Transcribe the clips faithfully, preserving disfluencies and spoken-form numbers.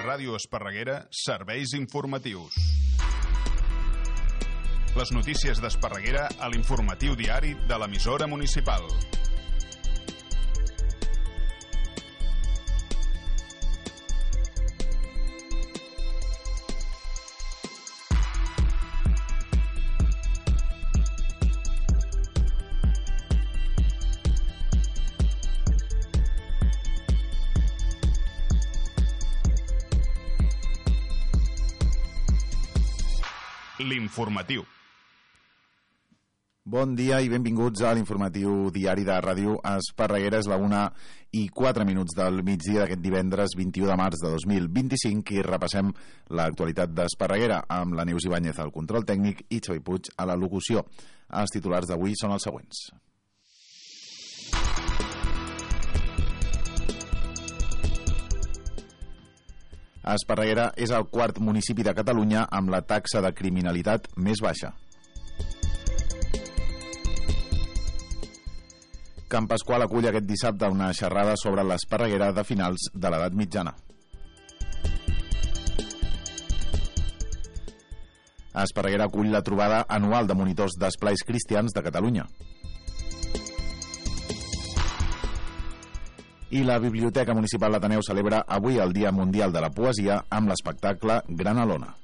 Ràdio Esparreguera, serveis informatius. Les notícies d'Esparreguera a l'informatiu diari de l'emissora municipal. L'informatiu. Bon dia i benvinguts a l'informatiu diari de Ràdio Esparreguera. És la una i quatre minuts del migdia d'aquest divendres vint-i-u de març de dos mil vint-i-cinc i repassem l'actualitat d'Esparreguera amb la Neus Ibáñez al control tècnic i Xavi Puig a la locució. Els titulars d'avui són els següents. Esparreguera és el quart municipi de Catalunya amb la taxa de criminalitat més baixa. Can Pasqual acull aquest dissabte una xerrada sobre l'Esparreguera de finals de l'edat mitjana. Esparreguera acull la trobada anual de monitors d'esplais cristians de Catalunya. I la Biblioteca Municipal d'Ateneu celebra avui el Dia Mundial de la Poesia amb l'espectacle Gran Alona.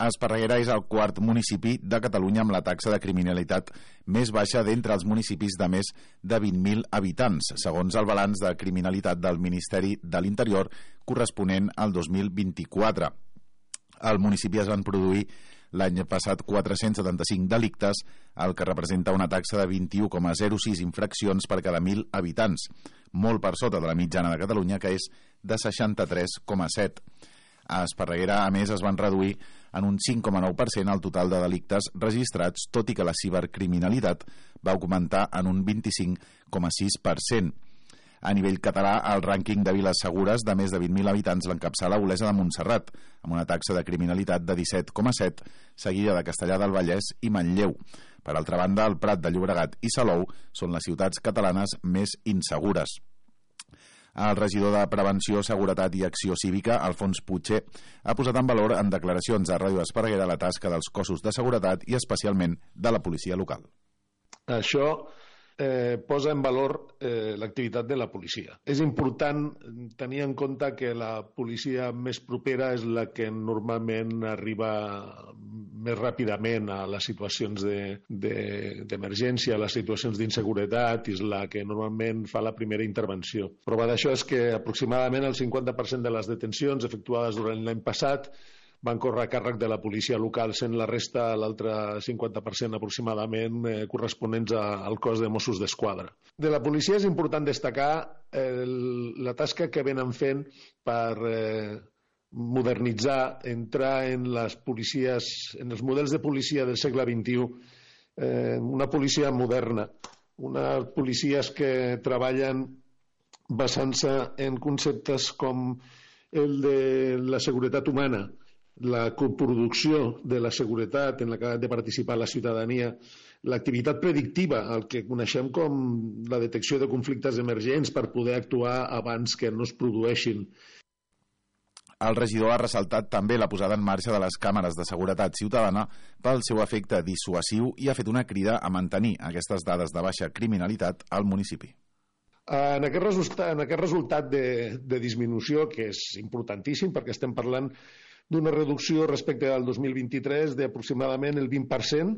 Esparreguera és el quart municipi de Catalunya amb la taxa de criminalitat més baixa d'entre els municipis de més de vint mil habitants, segons el balanç de criminalitat del Ministeri de l'Interior corresponent al dos mil vint-i-quatre. Al municipi es van produir l'any passat quatre-cents setanta-cinc delictes, el que representa una taxa de vint-i-u coma zero sis infraccions per cada mil habitants, molt per sota de la mitjana de Catalunya, que és de seixanta-tres coma set. A Esparreguera, a més, es van reduir en un cinc coma nou per cent el total de delictes registrats, tot i que la cibercriminalitat va augmentar en un vint-i-cinc coma sis per cent. A nivell català, el rànquing de viles segures de més de vint mil habitants l'encapçala Olesa de Montserrat, amb una taxa de criminalitat de disset coma set, seguida de Castellar del Vallès i Manlleu. Per altra banda, el Prat de Llobregat i Salou són les ciutats catalanes més insegures. El regidor de Prevenció, Seguretat i Acció Cívica, Alfons Puigcer, ha posat en valor en declaracions a Ràdio Esparreguera la tasca dels cossos de seguretat i especialment de la policia local. Això eh, posa en valor eh, l'activitat de la policia. És important tenir en compte que la policia més propera és la que normalment arriba més ràpidament a les situacions de, de, d'emergència, a les situacions d'inseguretat, és la que normalment fa la primera intervenció. Prova d'això és que aproximadament el cinquanta per cent de les detencions efectuades durant l'any passat van córrer a càrrec de la policia local, sent la resta, l'altre cinquanta per cent aproximadament, eh, corresponents a, al cos de Mossos d'Esquadra. De la policia és important destacar eh, la tasca que venen fent per eh, modernitzar, entrar en les policies, en els models de policia del segle vint-i-u, eh, una policia moderna, unes policies que treballen basant-se en conceptes com el de la seguretat humana, la coproducció de la seguretat en la que ha de participar la ciutadania, l'activitat predictiva, el que coneixem com la detecció de conflictes emergents per poder actuar abans que no es produeixin. El regidor ha ressaltat també la posada en marxa de les càmeres de seguretat ciutadana pel seu efecte dissuasiu i ha fet una crida a mantenir aquestes dades de baixa criminalitat al municipi. En aquest resultat, en aquest resultat de, de disminució, que és importantíssim perquè estem parlant d'una reducció respecte al dos mil vint-i-tres d'aproximadament el vint per cent,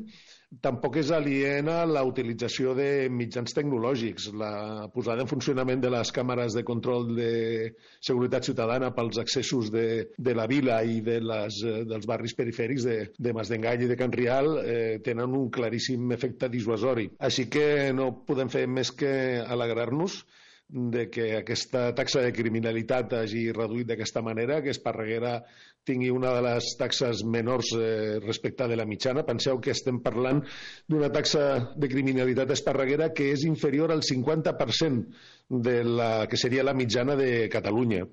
tampoc és aliena la utilització de mitjans tecnològics. La posada en funcionament de les càmeres de control de seguretat ciutadana pels accessos de, de la vila i de les, dels barris perifèrics de, de Masdengall i de Can Rial eh, tenen un claríssim efecte dissuasori. Així que no podem fer més que alegrar-nos de que aquesta taxa de criminalitat hagi reduït d'aquesta manera, que Esparreguera tingui una de les taxes menors eh, respecte de la mitjana. Penseu que estem parlant d'una taxa de criminalitat esparreguera que és inferior al cinquanta per cent de la que seria la mitjana de Catalunya.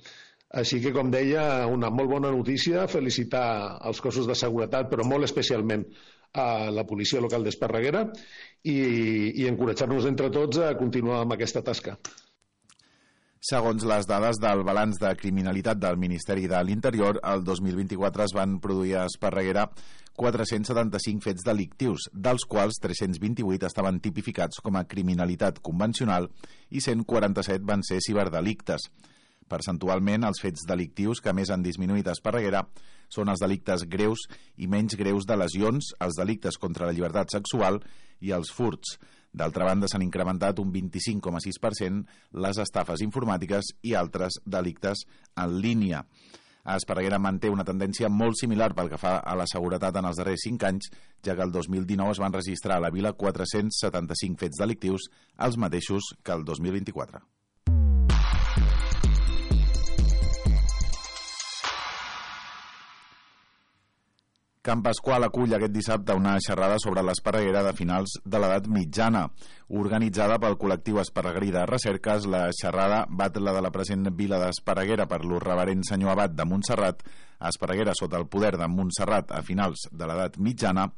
Així que, com deia, una molt bona notícia, felicitar els cossos de seguretat, però molt especialment a la policia local d'Esparreguera i, i encoratjar-nos entre tots a continuar amb aquesta tasca. Segons les dades del balanç de criminalitat del Ministeri de l'Interior, el dos mil vint-i-quatre es van produir a Esparreguera quatre-cents setanta-cinc fets delictius, dels quals tres-cents vint-i-vuit estaven tipificats com a criminalitat convencional i cent quaranta-set van ser ciberdelictes. Percentualment, els fets delictius que més han disminuït a Esparreguera són els delictes greus i menys greus de lesions, els delictes contra la llibertat sexual i els furts. D'altra banda, s'han incrementat un vint-i-cinc coma sis per cent les estafes informàtiques i altres delictes en línia. A Esparreguera manté una tendència molt similar pel que fa a la seguretat en els darrers cinc anys, ja que el dos mil dinou es van registrar a la vila quatre-cents setanta-cinc fets delictius, els mateixos que el dos mil vint-i-quatre. Can Pasqual acull aquest dissabte una xerrada sobre l'Esparreguera de finals de l'edat mitjana. Organitzada pel col·lectiu esparreguerí de recerques, la xerrada bat la de la present vila d'Esparreguera per l'Reverend Senyor Abat de Montserrat, a Esparreguera sota el poder de Montserrat a finals de l'edat mitjana,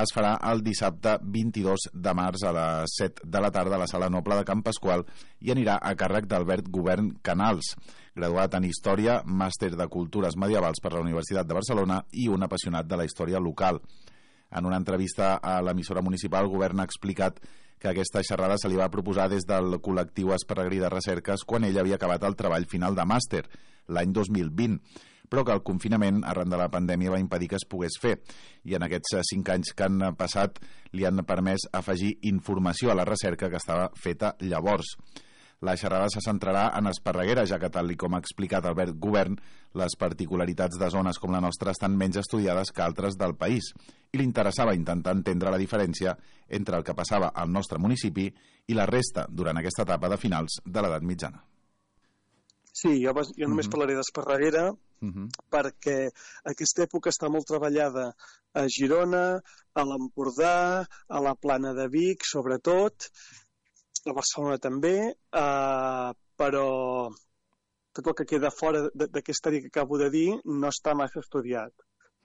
es farà el dissabte vint-i-dos de març a les set de la tarda a la Sala Noble de Can Pasqual i anirà a càrrec d'Albert Govern Canals, graduat en Història, màster de Cultures Medievals per la Universitat de Barcelona i un apassionat de la història local. En una entrevista a l'emissora municipal, el govern ha explicat que aquesta xerrada se li va proposar des del col·lectiu esparreguerí de recerques quan ell havia acabat el treball final de màster, l'any dos mil vint, però que el confinament arran de la pandèmia va impedir que es pogués fer. I en aquests cinc anys que han passat li han permès afegir informació a la recerca que estava feta llavors. La xerrada se centrarà en Esparreguera, ja que, tal com ha explicat Albert Govern, les particularitats de zones com la nostra estan menys estudiades que altres del país, i li interessava intentar entendre la diferència entre el que passava al nostre municipi i la resta durant aquesta etapa de finals de l'edat mitjana. Sí, jo, jo només uh-huh. parlaré d'Esparreguera uh-huh. perquè aquesta època està molt treballada a Girona, a l'Empordà, a la Plana de Vic, sobretot, a Barcelona també, eh, però tot el que queda fora d'aquesta àrea que acabo de dir no està massa estudiat.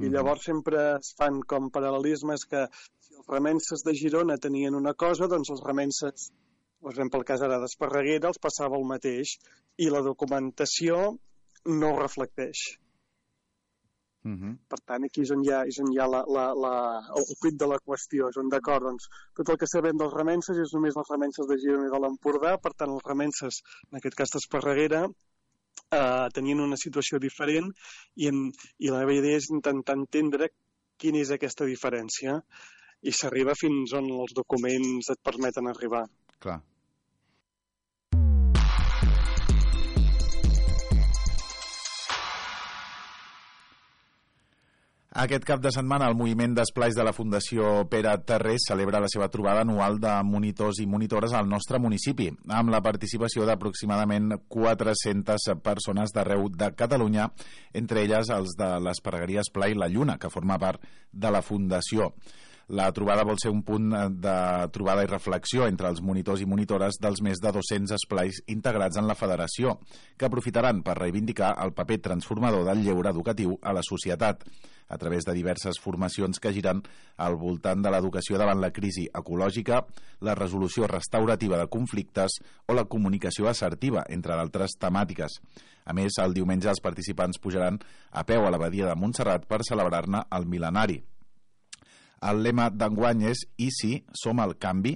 I llavors sempre es fan com paral·lelismes que si els remenses de Girona tenien una cosa, doncs els remenses, per exemple, el cas ara d'Esparreguera, els passava el mateix i la documentació no ho reflecteix. Uh-huh. Per tant, aquí és on hi ha, és on hi ha la, la, la, el quid de la qüestió. És on, d'acord, doncs, tot el que sabem dels remenses és només les remenses de Girona i de l'Empordà, per tant, els remenses, en aquest cas d'Esparreguera, eh, tenien una situació diferent i, en, i la meva idea és intentar entendre quina és aquesta diferència i s'arriba fins on els documents et permeten arribar. Clar. Aquest cap de setmana el moviment d'esplais de la Fundació Pere Tarrés celebra la seva trobada anual de monitors i monitores al nostre municipi, amb la participació d'aproximadament quatre-centes persones d'arreu de Catalunya, entre elles els de l'Esparregueria Esplai La Lluna, que forma part de la Fundació. La trobada vol ser un punt de trobada i reflexió entre els monitors i monitores dels més de dos-cents esplais integrats en la federació, que aprofitaran per reivindicar el paper transformador del lleure educatiu a la societat, a través de diverses formacions que giren al voltant de l'educació davant la crisi ecològica, la resolució restaurativa de conflictes o la comunicació assertiva, entre d'altres temàtiques. A més, el diumenge els participants pujaran a peu a l'abadia de Montserrat per celebrar-ne el mil·lenari. El lema d'enguany és «I sí, som el canvi»,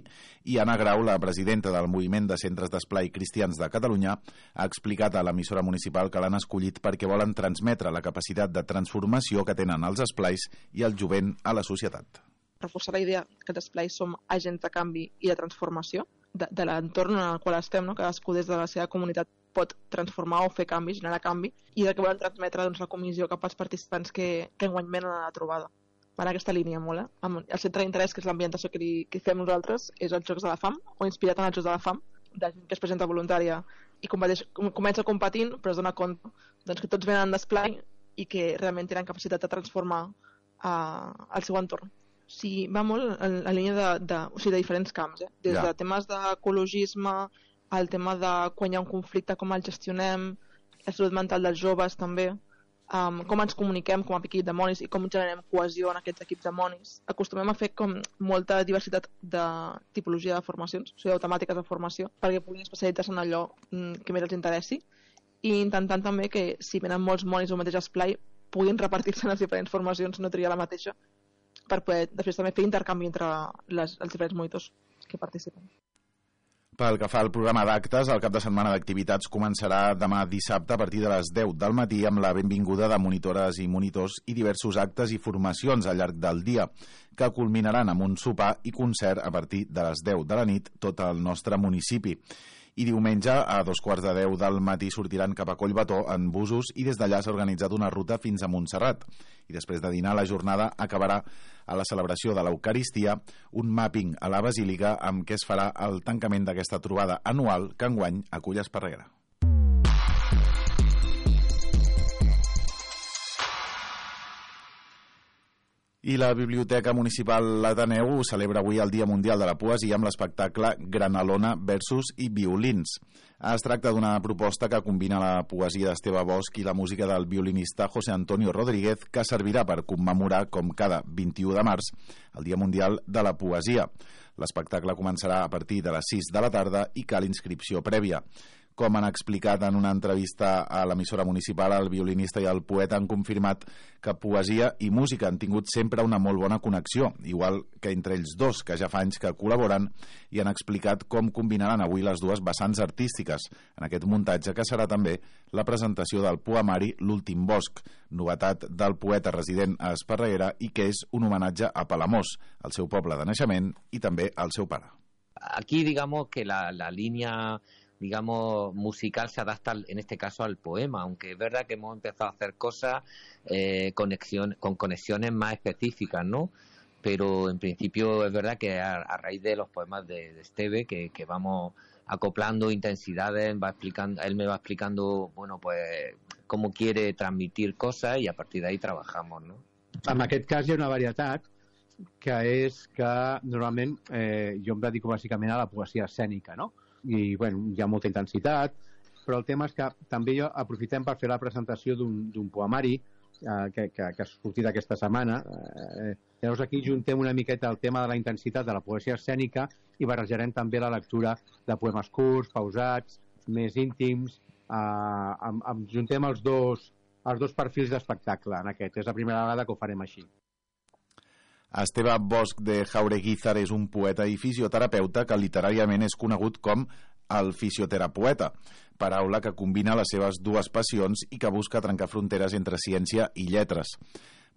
i Anna Grau, la presidenta del Moviment de Centres d'Esplai Cristians de Catalunya, ha explicat a l'emissora municipal que l'han escollit perquè volen transmetre la capacitat de transformació que tenen els esplais i el jovent a la societat. Reforçar la idea que els esplais som agents de canvi i de transformació de, de l'entorn en el qual estem, no? Cadascú des de la seva comunitat pot transformar o fer canvi, generar canvi, i de que volen transmetre doncs, la comissió cap als participants que, que enguany venen a la trobada. Per aquesta línia molt, eh? El centre d'interès, que és l'ambientació que, li, que fem nosaltres, és els Jocs de la Fam, o inspirat en els Jocs de la Fam, de gent que es presenta voluntària i competeix, comença competint, però es dona compte doncs, que tots venen d'esplai i que realment tenen capacitat de transformar uh, el seu entorn. O sigui, va molt en la línia de, de, o sigui, de diferents camps, eh? Des ja. de temes d'ecologisme, al tema de quan hi ha un conflicte, com el gestionem, la salut mental dels joves també, um, com ens comuniquem com a equip de monis i com generem cohesió en aquests equips de monis. Acostumem a fer com molta diversitat de tipologia de formacions, o sigui, de temàtiques de formació, perquè puguin especialitzar-se en allò que més els interessi, i intentant també que si venen molts monis al mateix esplai puguin repartir-se en les diferents formacions, no triar la mateixa, per poder després també fer intercanvi entre les, els diferents monitors que participen. Pel que fa al programa d'actes, el cap de setmana d'activitats començarà demà dissabte a partir de les deu del matí amb la benvinguda de monitores i monitors i diversos actes i formacions al llarg del dia, que culminaran amb un sopar i concert a partir de les deu de la nit tot el nostre municipi. I diumenge, a dos quarts de deu del matí, sortiran cap a Collbató en busos i des d'allà s'ha organitzat una ruta fins a Montserrat. I després de dinar, la jornada acabarà a la celebració de l'Eucaristia, un mapping a la Basílica amb què es farà el tancament d'aquesta trobada anual que enguany acull Esparreguera. I la Biblioteca Municipal L'Ateneu celebra avui el Dia Mundial de la Poesia amb l'espectacle Granalona versus i violins. Es tracta d'una proposta que combina la poesia d'Esteve Bosch i la música del violinista José Antonio Rodríguez, que servirà per commemorar, com cada vint-i-u de març, el Dia Mundial de la Poesia. L'espectacle començarà a partir de les sis de la tarda i cal inscripció prèvia. Com han explicat en una entrevista a l'emissora municipal, el violinista i el poeta han confirmat que poesia i música han tingut sempre una molt bona connexió, igual que entre ells dos, que ja fa anys que col·laboren, i han explicat com combinaran avui les dues vessants artístiques en aquest muntatge, que serà també la presentació del poemari L'últim bosc, novetat del poeta resident a Esparreguera i que és un homenatge a Palamós, el seu poble de naixement, i també al seu pare. Aquí digamos que la, la línea digamos, musical se adapta en este caso al poema, aunque es verdad que hemos empezado a hacer cosas eh, conexión, con conexiones más específicas, ¿no? Pero en principio es verdad que a, a raíz de los poemas de, de Esteve, que, que vamos acoplando intensidades, va explicando, él me va explicando, bueno, pues cómo quiere transmitir cosas y a partir de ahí trabajamos, ¿no? En aquest cas hi ha una varietat que és que normalment eh, jo em dedico bàsicament a la poesia escènica, no? I bueno, hi ha molta intensitat, però el tema és que també jo aprofitem per fer la presentació d'un poemari eh, que, que, que ha sortit aquesta setmana. Eh, llavors aquí juntem una miqueta el tema de la intensitat de la poesia escènica i barrejarem també la lectura de poemes curts, pausats, més íntims, eh, amb, amb, juntem els dos, els dos perfils d'espectacle en aquest. És la primera vegada que ho farem així. Esteve Bosch de Jaureguízar és un poeta i fisioterapeuta que literàriament és conegut com el fisioterapeuta, paraula que combina les seves dues passions i que busca trencar fronteres entre ciència i lletres.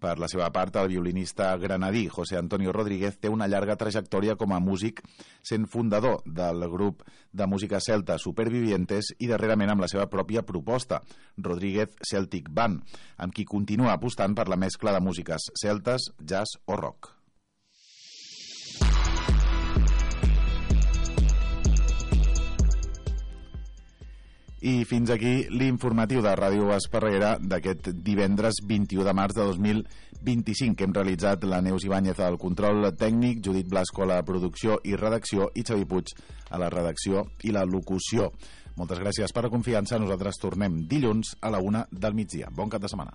Per la seva part, el violinista granadí José Antonio Rodríguez té una llarga trajectòria com a músic, sent fundador del grup de música celta Supervivientes i darrerament amb la seva pròpia proposta, Rodríguez Celtic Band, amb qui continua apostant per la mescla de músiques celtes, jazz o rock. I fins aquí l'informatiu de Ràdio Esparreguera d'aquest divendres vint-i-u de març de dos mil vint-i-cinc, que hem realitzat la Neus Ibáñez al control tècnic, Judit Blasco a la producció i redacció i Xavi Puig a la redacció i la locució. Moltes gràcies per la confiança. Nosaltres tornem dilluns a la una del migdia. Bon cap de setmana.